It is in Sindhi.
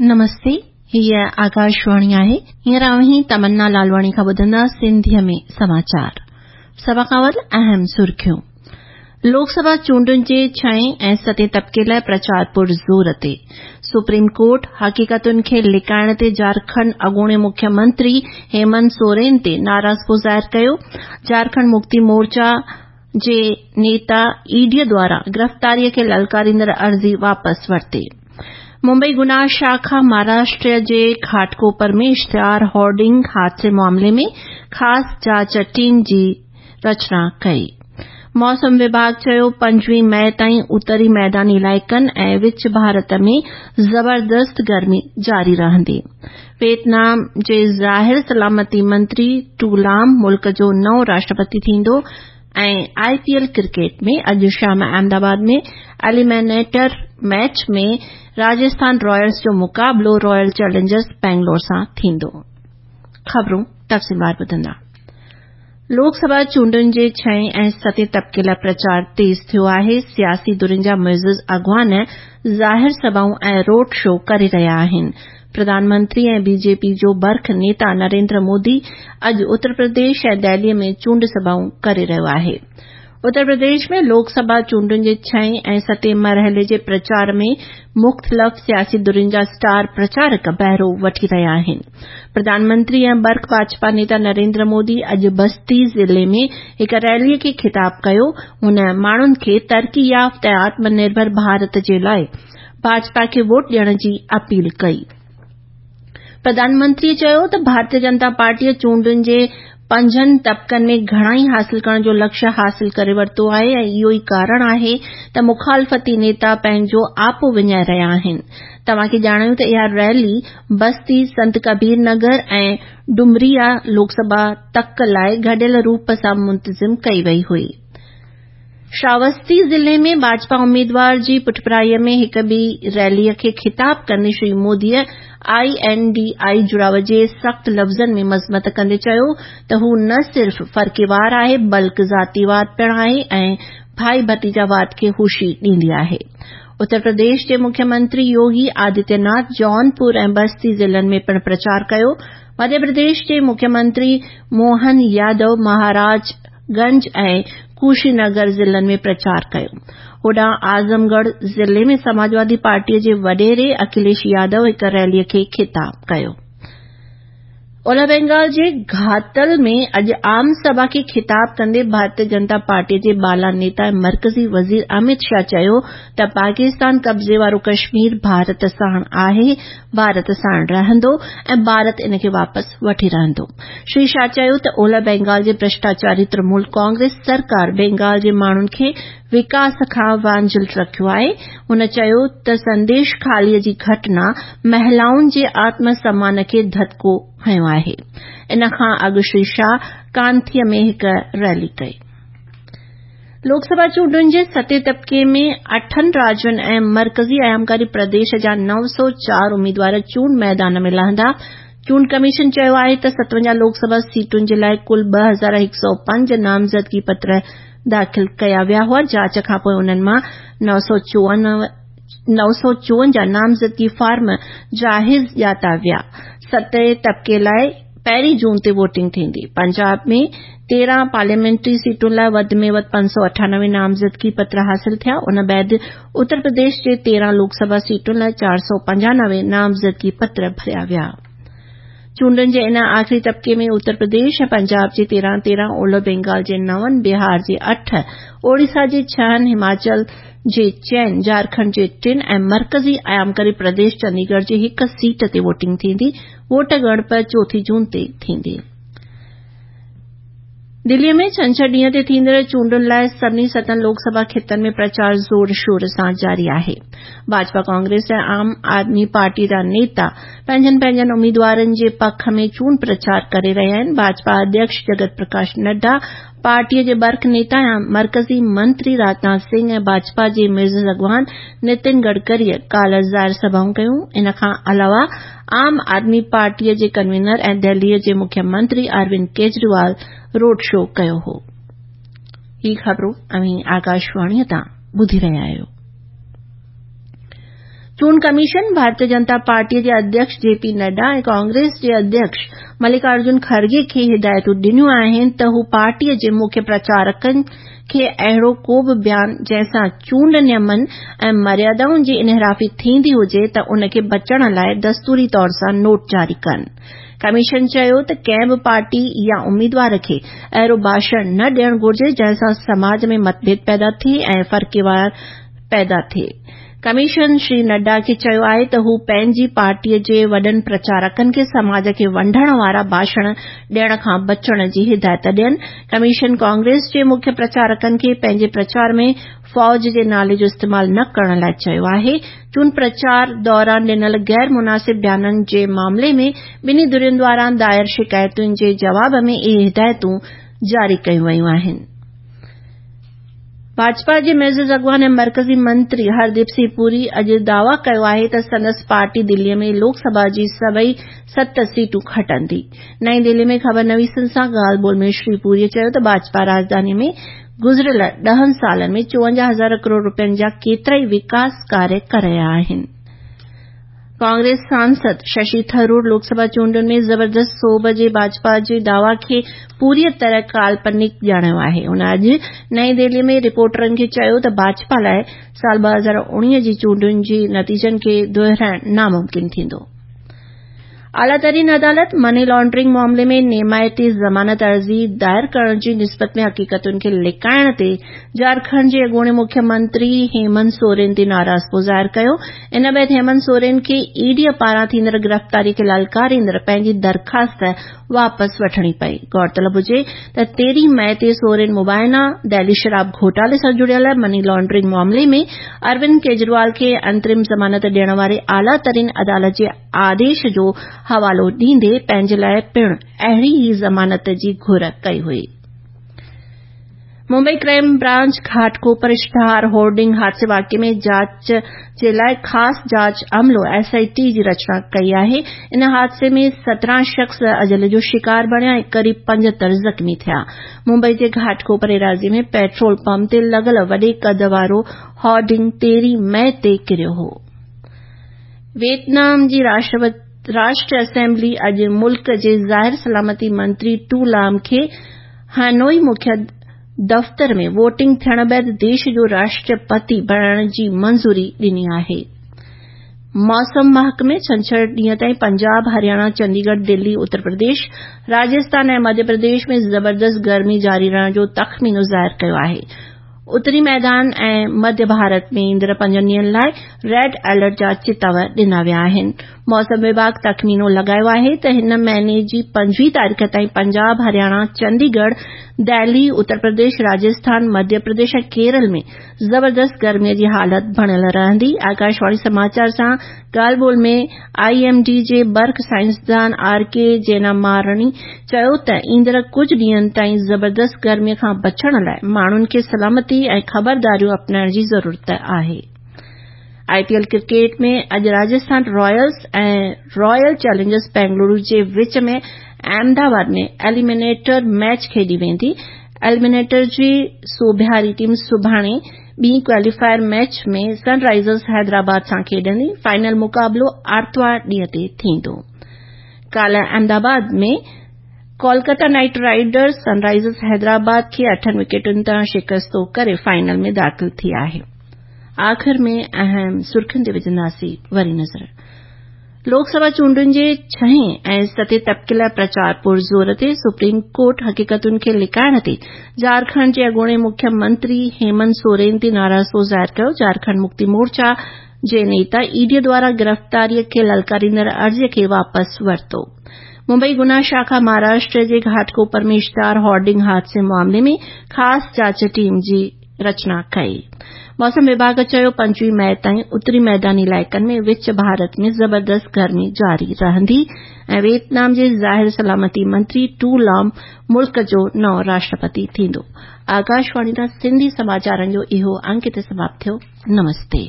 نمستي، هيء آڪاشواڻي آهي. هينئر اوهين تمنا لالواڻي کان ٻڌندا سنڌيء ۾ سماچار. سڀ کان اول اهم سرخيون. لوڪ سڀا چونڊن جي ڇهين ۽ ستين طبقي لاء پرچار پر زور تي. سپريم ڪورٽ حقيقتن کي لڪائڻ تي جهارکنڊ اڳوڻي مکيه منتري هيمنت سورين تي ناراضپو ظاهر ڪيو. جهارکنڊ مڪتي مورچا جي نيتا اي ڊي دواران گرفتاري کي للڪاريندڙ عرضي واپس ورتي. ممبئي گناهه شاخا مهاراشٽر جي گهاٽڪوپر ۾ اشتهار هورڊنگ حادثي معاملي ۾ خاص جاچ ٽيم جي رچنا ڪئي. موسم وڀاڳ چيو 25 مئي تائين اتري ميداني علائقن ۽ وچ ڀارت ۾ زبردست گرمي جاري رهندي. ويٽنام جي ظاهر سلامتي منتري ٽو لام ملڪ جو نئون راشٽرپتي ٿيندو ۽ آء پي ايل ڪرڪيٽ ۾ اڄ شام Ahmedabad ۾ eliminator match ۾ Rajasthan Royals جو مقابلو رائل چئلينجرز بينگلور سان ٿيندو. خبرون تفصيلوار ٻڌندا. لوڪ سڀا چونڊن جي ڇهين ۽ ستين طبقي لاء پرچار تيز ٿيو آهي، سياسي ڌرين جا معزز اڳواڻ ظاهر سڀائون ۽ روڊ شو ڪري رهيا آهن. پرڌان منتري ۽ بي جي پي جو برک نيتا نريندر مودي اڄ اتر پرديش ۽ دهلي ۾ چونڊ سڀائون ڪري رهيو آهي. اتر پرديش ۾ لوڪ سڀا چونڊن جي ڇهين ۽ ستين مرحلي جي پرچار ۾ مختلف سياسي ڌرين جا اسٽار پرچارڪ بهرو وٺي رهيا آهن. پرڌان منتري ۽ برک ڀاجپا نيتا نريندر مودي اڄ بستي ضلعي ۾ هڪ ريلي کي خطاب ڪيو. هن ماڻهن کي ترقي يافته ۽ آتم نرڀر ڀارت جي لاء ڀاجپا کي ووٽ ڏيڻ جي اپيل ڪئي. پرڌان منتري چيو ته ڀارتيه جنتا پارٽيء چونڊن جي پنجن طبقن ۾ گهڻائي حاصل ڪرڻ جو لڪشيه حاصل ڪري ورتو آهي ۽ اهو ئي ڪارڻ آهي ته مخالفتي نيتا پنهنجو آپو وڃائي رهيا آهن. توهان کي ڄاڻايون ته اها ريلي بستي، سنت ڪبير نگر ۽ ڊمريا لوڪ سڀا تڪ لاء گڏيل روپ سان منتظم ڪئي وئي هئي. شراوستي ضلعي ۾ ڀاجپا اميدوار جي پٺڀرائي ۾ هڪ ٻي ريلي کي خطاب ڪندي Shri موديء I N D I جڙاء جي سخت لفظن ۾ مذمت ڪندي چيو ته هو نه صرف فرقيوار آهي بلڪ ذاتيواد پڻ آهي ۽ ڀائي ڀتيجاواد کي هوشي ڏيندي آهي. اتر پرديش جي مکيه منتري يوگي آدتيه ناٿ جونپور ۽ بستي ضلعن ۾ پڻ پرچار ڪيو. مڌيه پرديش جي مکيه منتري موهن يادو مهاراج گنج ۽ ڪوشي نگر ضلعن ۾ پرچار ڪيو. هوڏانهن اعظم ڳڙهه ضلعي ۾ سماجوادي پارٽي جي وڏيري اکليش يادو هڪ ريلي کي خطاب ڪيو. اولهه بينگال جي گهاتل ۾ اڄ عام سڀا کي خطاب ڪندي ڀارتيه جنتا پارٽي جي بالا نيتا ۽ مرڪزي وزير اميت شاهه چيو ته پاڪستان قبضي وارو ڪشمير ڀارت ساڻ آهي، ڀارت ساڻ رهندو ۽ ڀارت ان کي واپس وٺي رهندو. شري شاهه چيو ته اولهه بينگال جي ڀرشٽاچاري ترڻمول ڪانگريس سرڪار بينگال جي ماڻهن کي وڪاس کان وانجهيل رکيو آهي. هن چيو ته سنديش خالي جي گهٽنا مهلائن جي آتم سمان کي ڌڌڪو هنيو آهي. ان کان اڳ شري شاهه ڪانٿي ۾ هڪ ريلي ڪئي. لوڪ سڀا چونڊن جي ستين طبقي ۾ اٺن راجين ۽ مرڪزي ايامڪاري پرديش جا 904 اميدوار چونڊ ميدان ۾ لهندا. چونڊ ڪميشن چيو آهي ته 57 لوڪ سڀا سيٽن جي لاء ڪل 2105 نامزدگي پتر داخل ڪيا ويا هئا، جاچ کانپوء انهن مان 954 نامزدگي فارم جاهز ڄاتا ويا. ستين طبقي لاء پهرين جون تي ووٽنگ ٿيندي. پنجاب ۾ 13 پارليامينٽري سيٽن لاء وڌ ۾ وڌ 598 نامزدگي پتر حاصل ٿيا، ان بعد اتر پرديش جي 13 لوڪ سڀا سيٽن لاء 495 نامزدگي پتر ڀريا ويا. چونڊن جي ان آخري طبقي ۾ اتر پرديش ۽ پنجاب جي 13 13، اولهه بينگال جي نون، بهار جي اٺ، اوڙيسا جي ڇهن، هماچل جي چئن، جهارکنڊ جي ٽن ۽ مرڪزي ايامڪاري پرديش چنديڳڙهه جي هڪ سيٽ تي ووٽنگ ٿيندي. ووٽ ڳڻپ چوٿين جون تي ٿيندي. دليء ۾ ڇنڇر ڏينهن تي ٿيندڙ چونڊن لاء سڀني ستن لوڪ سڀا خطن ۾ پرچار زور شور سان جاري آهي. ڀاجپا، ڪانگريس ۽ عام آدمي پارٽي جا نيتا پنهنجن پنهنجن اميدوارن جي پک ۾ چونڊ پرچار ڪري رهيا آهن. ڀاجپا اڌيڪش جگت پرڪاش نڊا، پارٽيء جي برک نيتا ۽ مرڪزي منتري راجناٿ سنگهه ۽ ڀاجپا جي معزز اڳواڻ نتن گڊڪريء ڪالهه ظاهر سڀائون ڪيون. ان کان علاوه عام آدمي پارٽيء جي ڪنوينر ۽ دهليء جي مکيه منتري اروند ڪيجريوال روڊ شو ڪيو هو. هي خبرون اوهين آڪاشواڻيء تان ٻڌي رهيا آهيو. چونڊ ڪميشن ڀارتيه جنتا پارٽي جي اڌيڪش جي پي نڊا ۽ ڪانگريس جي اڌيڪش ملڪارجن کرگي کي هدايتون ڏنيون آهن ته هو پارٽي جي مکيه پرچارڪن کي اهڙو ڪو به بيان جنهن سان چونڊ نيمن ۽ مريادائن جي انحرافي ٿيندي هجي ته ان کي بچڻ لاء دستوري طور سان نوٽ جاري ڪن. ڪميشن چيو ته ڪنهن به پارٽي يا اميدوار کي اهڙو ڀاشڻ نه ڏيڻ گهرجي جنهن سان سماج ۾ متڀيد پيدا ٿئي ۽ فرقيوار پيدا ٿئي. ڪميشن شري نڊا کي چيو آهي ته هو پنهنجي پارٽي جي وڏن پرچارڪن کي سماج کي ونڊڻ وارا ڀاشڻ ڏيڻ کان بچڻ جي هدايت ڏين. ڪميشن ڪانگريس جي مکيه پرچارڪن کي پنهنجي پرچار ۾ فوج جي نالي جو استعمال نه ڪرڻ لاء چيو آهي. چونڊ پرچار دوران ڏنل غير مناسب بيانن جي معاملي ۾ ٻنهي ڌرين دواران دائر شڪايتن جي جواب ۾ اهي هدايتون جاري ڪيون ويون آهن. ڀاجپا جي معزز اڳواڻ ۽ مرڪزي منتري هرديپ سنگهه پوري اڄ دعويٰ ڪيو آهي ته سندس پارٽي دلي ۾ لوڪ سڀا جي سڀئي ست سيٽون کٽندي. نئين دهلي ۾ خبرنويسن سان ڳالهه ٻولهه ۾ شري پوري چيو ته ڀاجپا راڄڌاني ۾ گذريل ڏهن سالن ۾ 54 هزار ڪروڙ رپين جا ڪيترائي وڪاس ڪاريه ڪرايا آهن. ڪانگريس سانسد ششي ٿرور لوڪ سڀا چونڊن ۾ زبردست سوڀ جي ڀاجپا جي دعويٰ کي پوريء طرح ڪالپنڪ ڄاڻايو آهي. هن اڄ نئين دهلي ۾ رپورٽرن کي چيو ته ڀاجپا لاء سال 2019 جي چونڊن جي نتيجن کي دهرائڻ ناممڪن ٿيندو. اعليٰ ترين عدالت مني لانڊرنگ معاملي ۾ نيمائتي ضمانت عرضي دائر ڪرڻ جي نسبت ۾ حقيقتن کي لڪائڻ تي جهارکنڊ جي اڳوڻي مکيه منتري هيمنت سورين تي ناراضپو ظاهر ڪيو. ان بعد هيمنت سورين کي اي ڊي پاران ٿيندڙ گرفتاري کي للڪاريندڙ پنهنجي درخواست واپس وٺڻي پئي. غور طلب هجي ته 13 مئي تي سورين مبينا دهلي شراب گهوٽالي سان جڙيل مني لانڊرنگ معاملي ۾ اروند ڪيجريوال کي انترم ضمانت ڏيڻ واري اعليٰ ترين عدالت جي آديش جو حوالو ڏيندي پنهنجي لاء پڻ اهڙي ئي ضمانت جي گهر ڪئي هئي. ممبئي ڪرائيم برانچ گهاٽڪوپر اشتهار هورڊنگ حادثي واقعي ۾ جاچ جي لاء خاص جاچ عملو ايس I ٽي جي رچنا ڪئي آهي. ان حادثي ۾ 17 شخص اجل جو شڪار بڻيا ۽ قريب 75 زخمي ٿيا. ممبئي جي گهاٽڪوپر ايراضي ۾ پيٽرول پمپ تي لڳل وڏي قد وارو هورڊنگ 13 مئي تي ڪريو هو. ويٽنام جي راشٽر اسيمبلي اڄ ملڪ جي ظاهر سلامتي منتري ٽو لام کي هانوئي مکيه دفتر ۾ ووٽنگ ٿيڻ بعد ديش جو راشٽرپتي بڻائڻ جي منظوري ڏني آهي. موسم محڪمي ڇنڇر ڏينهن تائين پنجاب، هرياڻا، چنديڳڙهه، دلي، اتر پرديش، راجسٿان ۽ مڌيه پرديش ۾ زبردست گرمي جاري رهڻ جو تخمينو ظاهر ڪيو آهي. اتري ميدان ۽ مڌيه ڀارت ۾ ايندڙ پنجن ڏينهن لاء ريڊ الرٽ جا چتاء ڏنا ويا آهن. موسم وڀاڳ تخمينو لڳايو آهي ته هن مهيني جي 25 تاريخ تائين پنجاب، هرياڻا، چنديڳڙهه، دهلي، اتر پرديش، راجسٿان، مڌيه پرديش ۽ ڪيرل ۾ زبردست گرمي جي حالت بڻيل رهندي. آڪاشواڻي سماچار سان ڳالهه ٻولهه ۾ I M D جي برق سائنسدان آر ڪي جينامارڻي چيو ته ايندڙ ڪجهه ڏينهن تائين زبردست گرمي کان بچڻ لاء ماڻهن کي سلامتي ۽ خبرداريون اپنائڻ جي ضرورت آهي. آء پي ايل ڪرڪيٽ ۾ اڄ Rajasthan Ryles ۽ Royal Challengers Bengaluru جي وچ ۾ احمدآباد ۾ ايليمينيٽر ميچ کيڏي ويندي. ايليمينيٽر جي سوڀياري ٽيم سڀاڻي ٻي ڪواليفائر ميچ ۾ سن رائزرز حيدرآباد سان کيڏندي. فائنل مقابلو آرتوار ڏينهن تي ٿيندو. ڪالهه Ahmedabad ۾ Kolkata Knight Riders Sunrisers Hyderabad کي اٺن وڪيٽن تان شڪستو ڪري فائنل ۾ داخل ٿي آهي. آخر ۾ اهم سرخين تي وجهنداسين وري نظر. لوڪ سڀا چونڊن جي ڇهين ۽ ستين طبقي لاء پرچار پرزور تي سپريم ڪورٽ حقيقتن کي لڪائڻ تي جهارکنڊ جي اڳوڻي مکيه منتري هيمنت سورين تي ناراضپو ظاهر ڪيو. جهارکنڊ مڪتي مورچا جي نيتا اي ڊي دواران گرفتاري کي للڪاريندڙ عرضي کي واپس ورتو. ممبئي گناهه شاخا مهاراشٽر جي گهاٽڪوپر ۾ اشتهار هورڊنگ حادثي معاملي ۾ خاص جاچ ٽيم جي رچنا ڪئي. موسم وڀاڳ چيو 25 مئي تائين اتري ميداني علائقن ۾ وچ ڀارت ۾ زبردست گرمي جاري رهندي ۽ ويٽنام جي ظاهر سلامتي منتري ٽو لام ملڪ جو نئون راشٽرپتي ٿيندو. آڪاشواڻي تان سنڌي سماچارن جو اهو انڪ هتي سماپت ٿيو. نمستي.